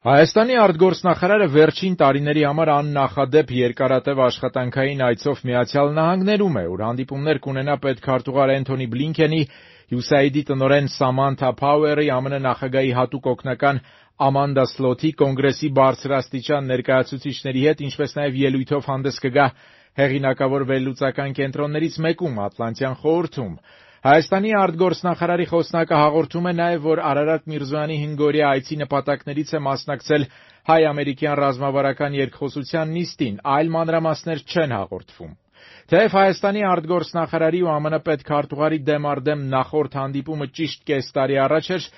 Հայաստանի արտգործնախարարը վերջին տարիների համար աննախադեպ երկարատև աշխատանքային այցով Միացյալ Նահանգներում է, ուր հանդիպումներ կունենա պետքարտուղար Էնթոնի Բլինքենի, USAID-ի տնօրեն Սամանթա Փաուերի, ԱՄՆ նախագահի հատուկ օգնական Ամանդա Սլոթի, Կոնգրեսի բարձրաստիճան ներկայացուցիչների հետ, ինչպես նաև ելույթով հանդես կգա հեղինակավոր վերլուծական կենտրոններից մեկում, Ատլանտյան խորհրդում։ Հայաստանի արտգործնախարարի խոսնակը հաղորդում է նաև, որ Արարատ Միրզոյանի 5-օրյա այցի նպատակներից է մասնակցել հայ-ամերիկյան ռազմավարական երկխոսության նիստին, այլ մանրամասներ չեն հաղորդվում։ Թեև Հայաստանի արտգործնախարարի ու ԱՄՆ պետքարտուղարի դեմ առ դեմ նախորդ հանդիպումը ճիշտ կես տարի առաջ էր,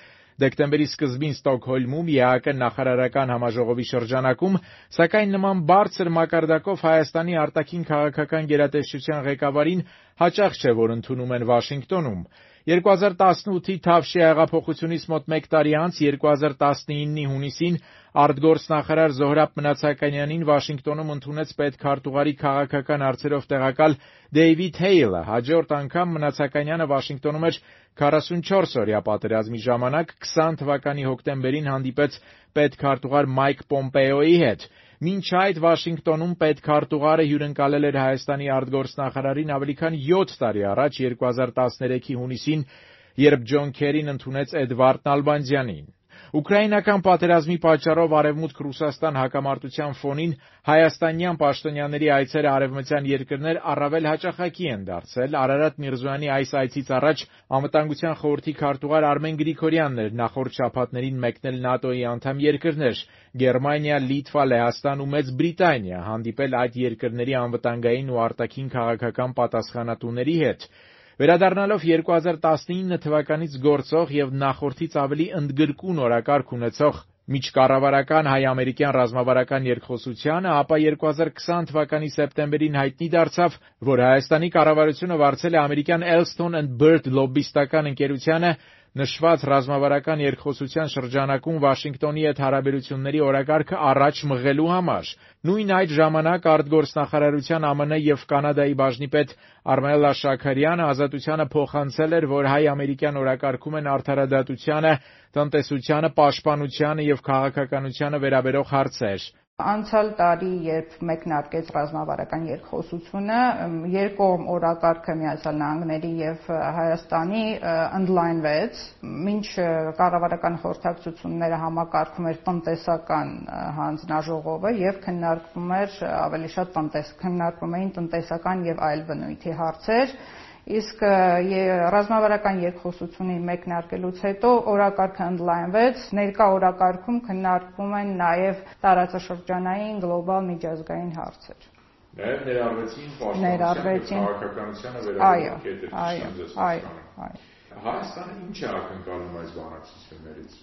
դեկտեմբերի սկզբին Ստոկհոլմում ԵԱԿ նախարարական համաժողովի շրջանակում, սակայն նման բարձր մակարդակով Հայաստանի արտաքին քաղաքական գերատեսչության ղեկավարին հաճախ չէ, որ ընդունում են Վաշինգտոնում։ 2018-ի Թավշյա հեղափոխությունից մոտ մեկ տարի անց 2019-ի հունիսին արտգործնախարար Զոհրաբ Մնացականյանին Վաշինգտոնում ընդունեց պետքարտուղարի քաղաքական հարցերով տեղակալ Դեյվիդ Հեյլը։ Հաջորդ անգամ Մնացականյանը Վաշինգտոնում էր 44-օրյա պատերազմի ժամանակ 20 թվականի հոկտեմբերին հանդիպեց պետքարտուղար Մայք Պոմպեոյի հետ։ Մինչ այդ Վաշինգտոնում պետքարտուղարը հյուրընկալել էր Հայաստանի արտգործնախարարին ավելի քան 7 տարի առաջ 2013-ի հունիսին, երբ Ջոն Քերին ընդունեց Էդվարդ Նալբանդյանին։ Ուկրաինական պատերազմի պատճառով Արևմուտք-Ռուսաստան հակամարտության ֆոնին հայաստանյան պաշտոնյաների այցերը արևմտյան երկրներ առավել հաճախակի են դարձել։ Արարատ Միրզոյանի այս այցից առաջ Անվտանգության խորհրդի քարտուղար Արմեն Գրիգորյանն էր նախորդ շաբաթներին մեկնել ՆԱՏՕ-ի անդամ երկրներ՝ Գերմանիա, Լիտվա, Լեհաստան ու Մեծ Բրիտանիա, հանդիպել այդ երկրների անվտանգային ու արտաքին քաղաքական պատասխանատուների հետ։ Վերադառնալով 2019 թվականից գործող եւ նախորդից ավելի ընդգրկուն օրակարգ ունեցող միջկառավարական հայ-ամերիկյան ռազմավարական երկխոսությանը, ապա 2020 թվականի սեպտեմբերին հայտնի դարձավ, որ Հայաստանի կառավարությունը վարձել է ամերիկյան Elston and Bird լոբբիստական ընկերությանը նշված ռազմավարական երկխոսության շրջանակում Վաշինգտոնի հետ հարաբերությունների օրակարգը առաջ մղելու համար։ Նույն այդ ժամանակ արտգործնախարարության ԱՄՆ եւ Կանադայի բաժնիպետ Արմելլա Շաքարյանը Ազատությանը փոխանցել էր, որ հայ-ամերիկյան օրակարգում են արդարադատությանը, տնտեսությանը, պաշտպանությանը եւ քաղաքականությանը վերաբերող հարցեր։ Անցյալ տարի, երբ մեկնարկեց ռազմավարական երկխոսությունը, երկկողմ օրակարգը Միացյալ Նահանգների եւ Հայաստանի ընդլայնվեց, մինչ կառավարական խորհրդակցությունները համակարգում էր տնտեսական հանձնաժողովը եւ քննարկվում էին տնտեսական եւ այլ բնույթի հարցեր, իսկ ռազմավարական երկխոսությունի մեկնարկելուց հետո օրակարգը ընդլայնվեց, ներկա օրակարգում քննարկվում են նաև տարածաշրջանային գլոբալ միջազգային հարցեր։ Նաև ներառվեցին պաշտպանության քաղաքականությանը վերաբերող կետեր։ Հայաստանը ինչ է ակնկալում այս բանակցություններից։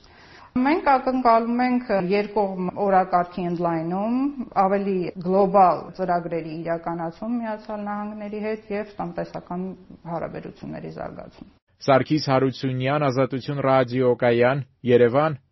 Մենք ակնկալում ենք երկկողմ օրակարգի ընդլայնում, ավելի գլոբալ ծրագրերի իրականացում Միացյալ Նահանգների հետ եւ տնտեսական հարաբերությունների զարգացում։ Սարգիս Հարությունյան, Ազատություն ռադիոկայան, Երևան,